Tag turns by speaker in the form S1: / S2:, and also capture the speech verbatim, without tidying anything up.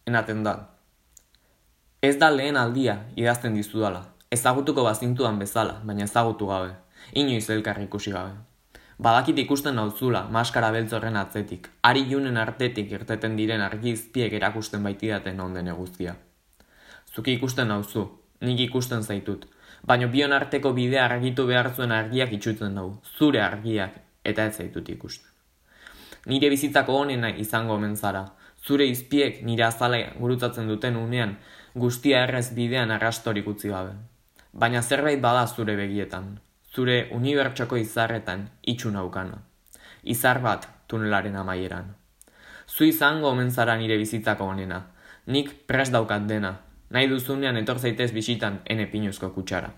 S1: enaten da. Ez da lehen aldia idazten dizudala, ezagutuko bazintudan bezala, baina ezagutu gabe, inoiz elkar ikusi gabe. Badakit ikusten nauzula, maskara beltz horren atzetik, ari junen artetik irteten diren argizpiek erakusten baitidaten onden eguzkia. Zuki ikusten nauzu, nik ikusten zaitut, baina bion arteko bidea argitu behar zuen argiak itxutzen dugu, zure argiak, eta ez zaitut ikusten. Nire bizitzako honena izango omen zara, zure izpiek nire azala gurutzatzen duten unean, guztia errez bidean arrastorik utzi gabe. Baina zerbait bada zure begietan, zure unibertsoko izarretan itxu naukana. Izar bat tunelaren amaieran. Zu izango omen zara nire bizitzako honena, nik prest daukat dena, nahi duzunean etor zaitez bisitan ene pinuzko kutsara.